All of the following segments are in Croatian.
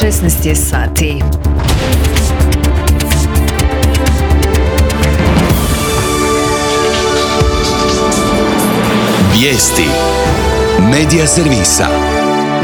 16 je sati. Vijesti Medija servisa.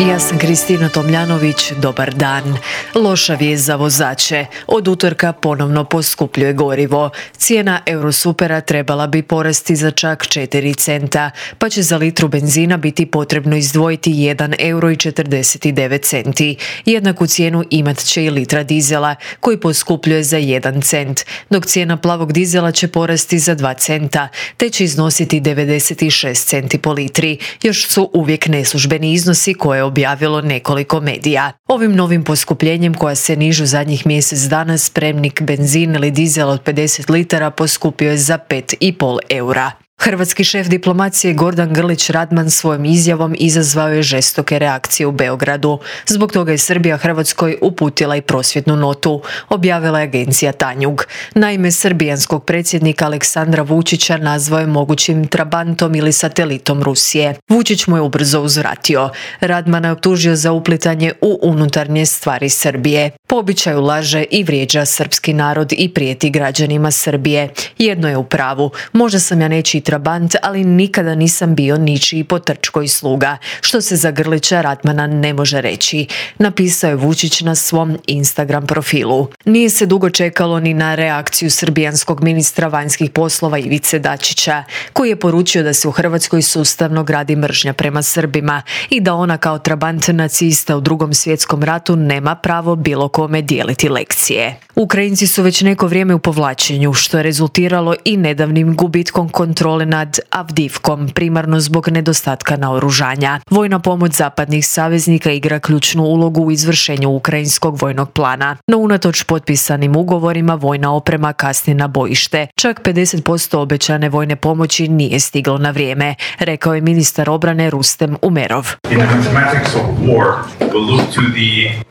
Ja sam Kristina Tomljanović, dobar dan. Loša vijest za vozače. Od utorka ponovno poskupljuje gorivo. Cijena Eurosupera trebala bi porasti za čak 4 centa, pa će za litru benzina biti potrebno izdvojiti 1,49 €. Jednaku cijenu imat će i litra dizela, koji poskupljuje za 1 cent, dok cijena plavog dizela će porasti za 2 centa, te će iznositi 96 centi po litri. Još su uvijek neslužbeni iznosi koje objavilo nekoliko medija. Ovim novim poskupljenjem, koja se nižu zadnjih mjesec dana, spremnik benzin ili dizel od 50 litara poskupio je za 5,5 eura. Hrvatski šef diplomacije Gordan Grlić Radman svojom izjavom izazvao je žestoke reakcije u Beogradu. Zbog toga je Srbija Hrvatskoj uputila i prosvjednu notu, objavila je agencija Tanjug. Naime, srbijanskog predsjednika Aleksandra Vučića nazvao je mogućim trabantom ili satelitom Rusije. Vučić mu je ubrzo uzvratio. Radmana je optužio za uplitanje u unutarnje stvari Srbije. Po običaju laže i vrijeđa srpski narod i prijeti građanima Srbije. Jedno je u pravu, možda sam ja nečiji trabant, ali nikada nisam bio ničiji potrčko i sluga, što se za Grlića Radmana ne može reći, napisao je Vučić na svom Instagram profilu. Nije se dugo čekalo ni na reakciju srbijanskog ministra vanjskih poslova Ivice Dačića, koji je poručio da se u Hrvatskoj sustavno gradi mržnja prema Srbima i da ona kao trabant nacista u Drugom svjetskom ratu nema pravo bilo kome dijeliti lekcije. Ukrajinci su već neko vrijeme u povlačenju, što je rezultiralo i nedavnim gubitkom kontrole nad Avdivkom, primarno zbog nedostatka naoružanja. Vojna pomoć zapadnih saveznika igra ključnu ulogu u izvršenju ukrajinskog vojnog plana. No unatoč potpisanim ugovorima, vojna oprema kasni na bojište. Čak 50% obećane vojne pomoći nije stiglo na vrijeme, rekao je ministar obrane Rustem Umerov.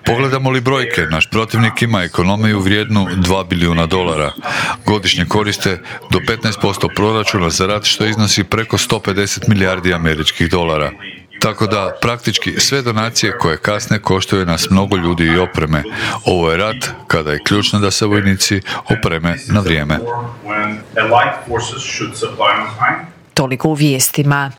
Pogledamo li brojke, naš protivnik ima ekonomiju vrijednu $2 bilijuna. Godišnje koriste do 15% proračuna za rat, što iznosi preko 150 milijardi američkih dolara. Tako da praktički sve donacije koje kasne koštaju nas mnogo ljudi i opreme. Ovo je rat kada je ključno da se vojnici opreme na vrijeme. Toliko u vijestima.